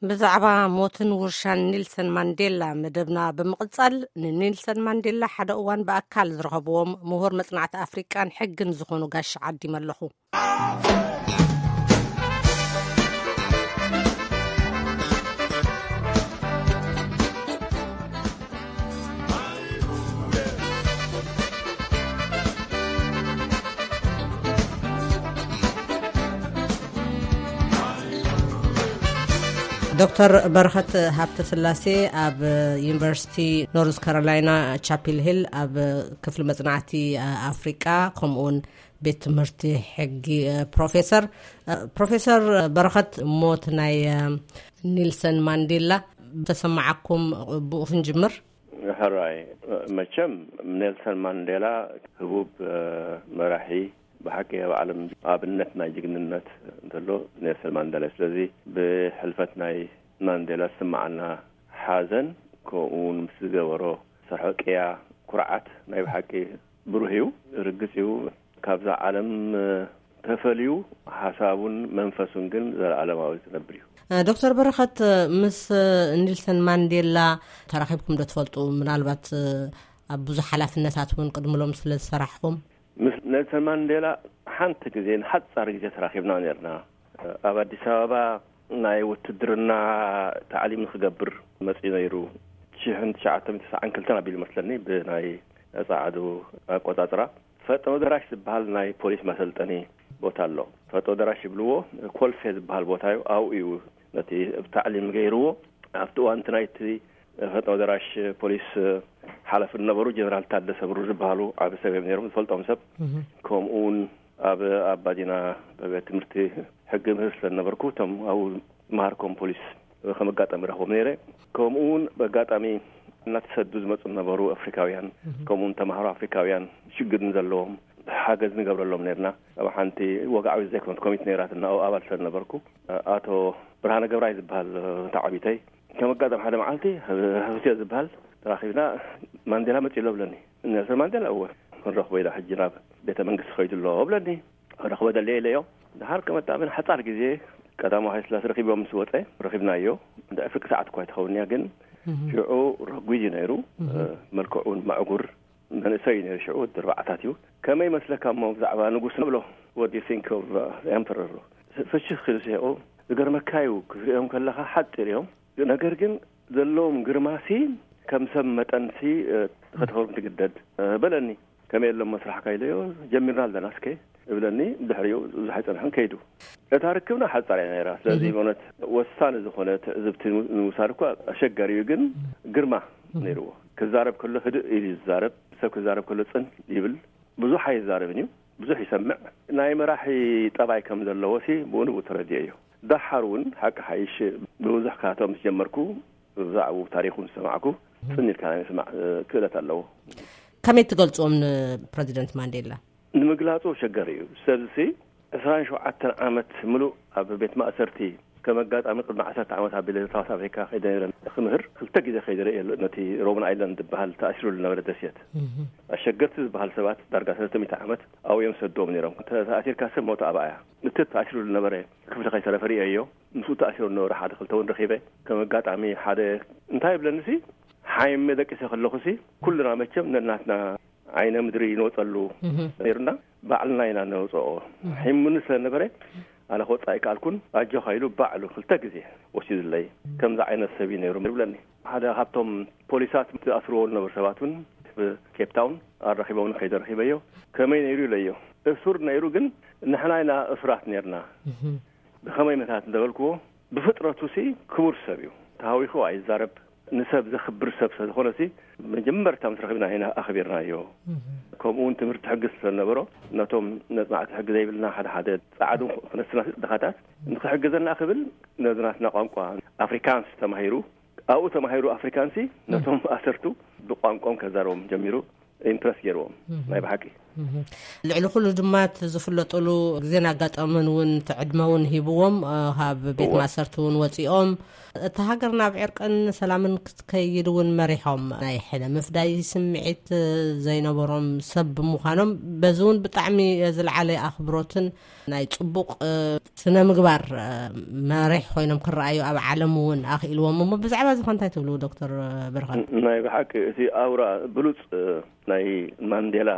ብዛዕባ ሞትን ውርሻን ኔልሰን ማንዴላ መደብና ብምቕጻል፣ ንኔልሰን ማንዴላ ሓደ እዋን ብኣካል ዝረኸብዎም ምሁር መጽናዕቲ ኣፍሪቃን ሕግን ዝኾኑ ጋሽ ዓዲመ ኣለኹ። ዶክተር በረኸት ሃብተ ስላሴ፣ ኣብ ዩኒቨርሲቲ ኖርዝ ካሮላይና ቻፒል ሂል ኣብ ክፍሊ መጽናዕቲ ኣፍሪቃ፣ ከምኡውን ቤት ትምህርቲ ሕጊ ፕሮፌሰር። ፕሮፌሰር በረኸት፣ ሞት ናይ ኔልሰን ማንዴላ ተሰማዓኩም፣ ብኡ ክንጅምር። ሕራይ፣ መቸም ኔልሰን ማንዴላ ህቡብ መራሒ፣ ብሓቂ ኣብ ዓለም ኣብነት ናይ ጅግንነት እንተሎ ኔልሰን ማንዴላ። ስለዚ ብሕልፈት ናይ ማንዴላ ዝስምዓና ሓዘን፣ ከምኡ እውን ምስ ዝገበሮ ስራሕ ቅያ፣ ኩርዓት ናይ ብሓቂ ብሩህ እዩ። ርግጽ እዩ፣ ካብዛ ዓለም ተፈልዩ፣ ሓሳቡን መንፈሱን ግን ዘለኣለማዊ ዝነብር እዩ። ዶክተር በረኸት፣ ምስ ኔልሰን ማንዴላ ተራኺብኩም ዶ ትፈልጡ? ምናልባት ኣብ ብዙሕ ሓላፍነታት እውን ቅድሚ ሎም ስለ ዝሰራሕኹም። ምስ ኔልሰን ማንዴላ ሓንቲ ግዜ፣ ንሓጻር ግዜ ተራኺብና ነርና። ኣብ ኣዲስ ኣበባ ናይ ውትድርና ታዕሊም ንክገብር መጺኡ ነይሩ። ሽሕን ትሽዓተ ሚእትን ተስዓን ክልተን ኣቢሉ መስለኒ፣ ብናይ ጸዓዱ ኣቆጻጽራ። ፈጥኖ ደራሽ ዝበሃል ናይ ፖሊስ መሰልጠኒ ቦታ ኣሎ። ፈጥኖ ደራሽ ይብልዎ፣ ኮልፌ ዝበሃል ቦታ እዩ። ኣብኡ እዩ ነቲ ታዕሊም ገይርዎ። ኣብቲ እዋን እቲ ናይቲ ፈጥኖ ደራሽ ፖሊስ ሓላፊ ዝነበሩ ጀነራል ታደሰ ብሩ ዝበሃሉ ዓቢ ሰብ እዮም ነይሮም፣ ዝፈልጦም ሰብ። ከምኡ እውን ኣብ ኣባዲና ቤት ትምህርቲ ሕጊ ምህር ስለ ዝነበርኩ፣ እቶም ኣብኡ ዝመሃርኮም ፖሊስ ከም ኣጋጣሚ ረኽቦም ነይረ። ከምኡ እውን ብኣጋጣሚ እናተሰዱ ዝመጹ ዝነበሩ ኣፍሪካውያን፣ ከምኡ እውን ተምሃሮ ኣፍሪካውያን ሽግር ንዘለዎም ሓገዝ ንገብረሎም ነርና። ኣብ ሓንቲ ወግዓዊት ዘይኮነት ኮሚቴ ነይራትና፣ ኣብኡ ኣባል ስለ ዝነበርኩ፣ ኣቶ ብርሃነ ገብራይ ዝበሃል ተዓቢተይ፣ ከም ኣጋጣሚ ሓደ መዓልቲ፣ ሆቴል ዝበሃል ተራኺብና፣ "ማንዴላ መጺኡ ኣሎ?" ብለኒ። "ኔልሰን ማንዴላ?" "እወ። ክንረኽቦ ኢና ሕጂ፣ ናብ ቤተ መንግስቲ ኸይዱ ኣሎ?" ብለኒ። "ክረኽቦ ደለየ?" ኢለዮ። ድሓር ከመጣ፣ ብን ሓጻር ግዜ ቀዳማዊ ሃይለ ስላሴ ረኺቦም ምስ ወጸ፣ ረኺብናዮ። እንደ ፍርቂ ሰዓት እኳ ኣይትኸውን እያ፣ ግን ሽዑ ረጒድ እዩ ነይሩ። መልክዑን መዕጉር መንእሰይ እዩ ነይሩ ሽዑ፣ ወዲ ኣርባዓታት እዩ። "ከመይ ይመስለካ እሞ ብዛዕባ ንጉስ?" ንብሎ። "What do you think of, uh, the emperor?" ፍሽኽ ኢሉ ሲሒቑ። "ዝገርመካ እዩ፣ ክትሪኦም ከለኻ ሓጺር እዮም፣ ነገር ግን ዘለዎም ግርማሲ ከም ሰብ መጠንሲ፣ እ፣ ከተኽብሮም ትግደድ፣ እ፣ በለኒ። ከመይ ኣሎሞ ስራሕካ?" ኢለዮ። "ጀሚርና ኣለና እስከ" እብለኒ። ድሕሪኡ ብዙሕ ኣይጸንሐን ከይዱ። እታ ርክብና ሓጻር እያ ነይራ። ስለዚ ብእውነት ወሳኒ ዝኾነ ትዕዝብቲ ንምውሳድ እኳ ኣሸጋሪ እዩ፣ ግን ግርማ ነይርዎ። ክዛረብ ከሎ ህድእ ኢሉ እዩ ዝዛረብ፣ ሰብ ክዛረብ ከሎ ጽን ይብል። ብዙሕ ኣይዛረብን እዩ፣ ብዙሕ ይሰምዕ። ናይ መራሒ ጠባይ ከም ዘለዎ ሲ ብኡ ንብኡ ተረዲኤ እዩ። ደሓር እውን ሓቂ ሓይሽ ብብዙሕ ካቶ ምስ ጀመርኩ፣ ብዛዕባኡ ታሪኹ ምስ ሰማዕኩ፣ ጽን ኢልካ ናይ ምስማዕ፣ እ፣ ክእለት ኣለዎ። ከመይ ትገልጽዎም ንፕረዚደንት ማንዴላ? ንምግላጹ ኣሸጋሪ እዩ። ሰብዚ ዕስራን ሸውዓተን ዓመት ምሉእ ኣብ ቤት ማእሰርቲ፣ ከም ኣጋጣሚ ቅድሚ ዓሰርተ ዓመት ኣብ ቤለ ሳውት ኣፍሪካ ከይደ ነይረ ክምህር፣ ክልተ ግዜ ከይደ ርእየ ኣለኹ። ነቲ ሮብን ኣይላንድ ዝበሃል ተኣሲሩ ዝነበረ ደሴት። ኣሸገርቲ ዝበሃል ሰባት ዳርጋ ሰለስተ ሚእቲ ዓመት ኣብኡ እዮም ዝሰድዎም ነይሮም። ተ-፣ ተኣሲርካ ሰብ ሞት ኣብኣ እያ። እቲ ተኣሲሩ ዝነበረ ክፍሊ ከይተረፈ ርእየዮ። ምስኡ ተኣሲሩ ዝነበረ ሓደ ክልተ እውን ረኺበ። ከም ኣጋጣሚ ሓደ እንታይ ይብለኒ ሲ፣ ሓይመ ደቂሰ ከለኹ ሲ፣ ኩልና መቸም ነናትና ዓይነ ምድሪ ይንወጸሉ ነይርና፣ ባዕልና ኢና ነውጽኦ። ሒሙኒ ስለ ነበረ፣ ኣነ ክወጽእ ኣይከኣልኩን። ኣጆኻ ኢሉ ባዕሉ ክልተ ግዜ ወሲዱለይ። ከምዚ ዓይነት ሰብ እዩ ነይሩ ይብለኒ። ሓደ ካብቶም ፖሊሳት ዝኣስርዎ ዝነበሩ ሰባት እውን፣ ብ ኬፕ ታውን ኣራኺቦምኒ፣ ከይደ ረኺበዮ። "ከመይ ነይሩ?" ኢለዮ። "እሱር ነይሩ፣ ግን ንሕና ኢና እሱራት ነይርና። ብኸመይ ምታት?" እንተበልክዎ፣ ብፍጥረቱ ሲ ክቡር ሰብ እዩ። ተሃዊኹ ኣይዛረብ። ንሰብ ዘኽብር ሰብ ስለ ዝኾነ ሲ፣ መጀመርታ ምስ ረኺብና ኢና ኣኽቢርናዮ። ከምኡ እውን ትምህርቲ ሕጊ ስለ ዝነበሮ፣ ነቶም ነጽናዕቲ ሕጊ ዘይብልና ሓደ ሓደ ጻዕዱ ክነስና ድኻታት ንኽሕግዘና ክብል፣ ነዚ ናትና ቋንቋ ኣፍሪካንስ ተማሂሩ፣ ኣብኡ ተማሂሩ ኣፍሪካንሲ፣ ነቶም ኣሰርቱ ብቋንቋም ከዛረቦም ጀሚሩ። ኢምፕረስ ገይርዎም፣ ናይ ብሓቂ። ልዕሊ ኩሉ ድማ እቲ ዝፍለጥሉ ግዜን ኣጋጣምን እውን እቲ ዕድመ እውን ሂብዎም፣ ካብ ቤት ማእሰርቲ እውን ወፂኦም፣ እታ ሃገር ናብ ዕርቅን ሰላምን ክትከይድ እውን መሪሖም፣ ናይ ሕነ ምፍዳይ ስምዒት ዘይነበሮም ሰብ ብምዃኖም፣ በዚ እውን ብጣዕሚ ዝለዓለ ኣኽብሮትን ናይ ፅቡቕ ስነ ምግባር መሪሕ ኮይኖም ክረኣዩ ኣብ ዓለም እውን ኣኽኢልዎም እሞ፣ ብዛዕባ እዚ እንታይ ትብሉ ዶክተር በረኸት? ናይ ብሓቂ እቲ ኣውራ ብሉፅ ናይ ማንዴላ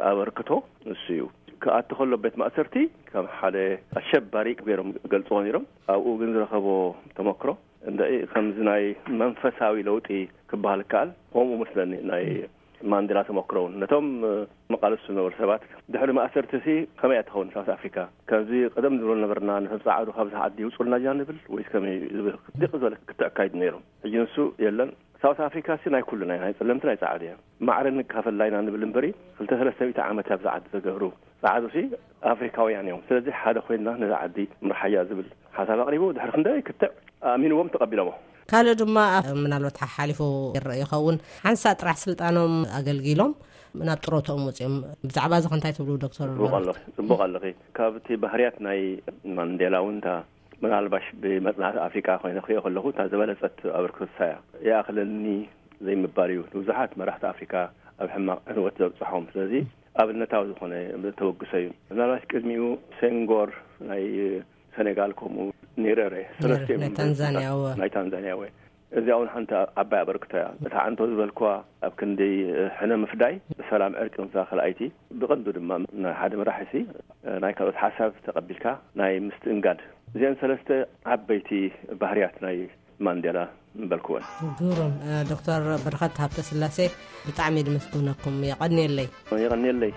ኣበርክቶ እሱ እዩ። ክኣቲ ከሎ ቤት ማእሰርቲ ከም ሓደ ኣሸባሪ ገይሮም ገልፅዎ ነይሮም። ኣብኡ ግን ዝረኸቦ ተመክሮ እንደ ከምዚ ናይ መንፈሳዊ ለውጢ ክበሃል ይከኣል። ከምኡ መስለኒ ናይ ማንዴላ ተመክሮ እውን ነቶም መቃለሱ ዝነበሩ ሰባት ድሕሪ ማእሰርቲ ሲ ከመይ እያ ትኸውን ሳውት ኣፍሪካ? ከምዚ ቀደም ዝብሎ ነበርና፣ ነቶም ፃዓዱ ካብዚ ዓዲ ይውፁልና ኢና ንብል ወይስ ከመይ ዝብል ድቅ ዝበለ ክትዕ ኣካይዱ ነይሮም። ሕጂ ንሱ የለን። ሳውት ኣፍሪካ ሲ ናይ ኩሉ ናይ ናይ ፀለምቲ ናይ ፃዓዱ እያ። ማዕረ ንካፈላ ኢና ንብል እምበሪ ክልተ ሰለስተ ሚእቲ ዓመት እያ ኣብዚ ዓዲ ዘገብሩ። ፃዓዱ ሲ ኣፍሪካውያን እዮም። ስለዚ ሓደ ኮይንና ነዛ ዓዲ ምርሓያ ዝብል ሓሳብ ኣቕሪቡ ድሕሪ ክንደይ ክትዕ ኣእሚንዎም ተቐቢሎሞ። ካልእ ድማ ምናልባት ሓሓሊፉ ይረአ ይኸውን፣ ሓንሳእ ጥራሕ ስልጣኖም ኣገልጊሎም ናብ ጥሮትኦም ወፂኦም። ብዛዕባ እዚ ከንታይ ትብሉ ዶክተር? ጽቡቕ ኣለኺ፣ ጽቡቕ ኣለኺ። ካብቲ ባህርያት ናይ ማንዴላ እውን እታ ምናልባሽ ብመጽናዕቲ ኣፍሪቃ ኮይነ ክሪኦ ከለኹ እታ ዝበለጸት ኣበርክቶታ እያ። ይኣኽለኒ ዘይምባል እዩ ንብዙሓት መራሕቲ ኣፍሪካ ኣብ ሕማቕ ዕንወት ዘብጽሖም። ስለዚ ኣብነታዊ ዝኾነ ተበግሶ እዩ። ምናልባሽ ቅድሚኡ ሴንጎር ናይ ሰኔጋል፣ ከምኡ ኔረረ ሰለስቲኦም ናይ እዮም ታንዛንያ፣ እወ። ናይ ታንዛንያ ወይ እዚኣ እውን ሓንቲ ዓባይ ኣበርክቶ እያ። እታ ዓንቶ ዝበልክዋ ኣብ ክንዲ ሕነ ምፍዳይ ብሰላም ዕርቂ ምሳ ካልኣይቲ ብቐንዱ ድማ ናይ ሓደ መራሒሲ ናይ ካልኦት ሓሳብ ተቐቢልካ ናይ ምስትእንጋድ፣ እዚአን ሰለስተ ዓበይቲ ባህርያት ናይ ማንዴላ ምበልክወን። ግሩም። ዶክተር በረኸት ሃብተ ስላሴ፣ ብጣዕሚ ድመስግነኩም። የቐንየለይ። የቐንየለይ።